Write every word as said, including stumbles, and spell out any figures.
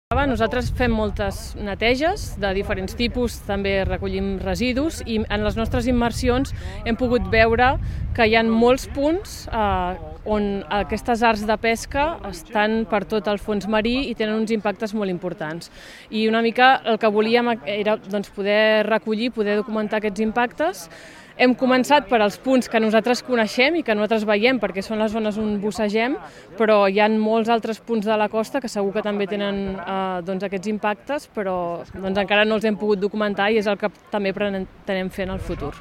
Nosaltres fem moltes neteges de diferents tipus, també recollim residus i en les nostres immersions hem pogut veure que hi ha molts punts eh, on aquestes arts de pesca estan per tot el fons marí i tenen uns impactes molt importants. I una mica el que volíem era doncs, poder recollir, poder documentar aquests impactes. Hem començat per als punts que nosaltres coneixem i que nosaltres veiem perquè són les zones on bussegem, però hi ha molts altres punts de la costa que segur que també tenen eh, doncs, aquests impactes, però doncs, encara no els hem pogut documentar i és el que també pretenem fer en el futur.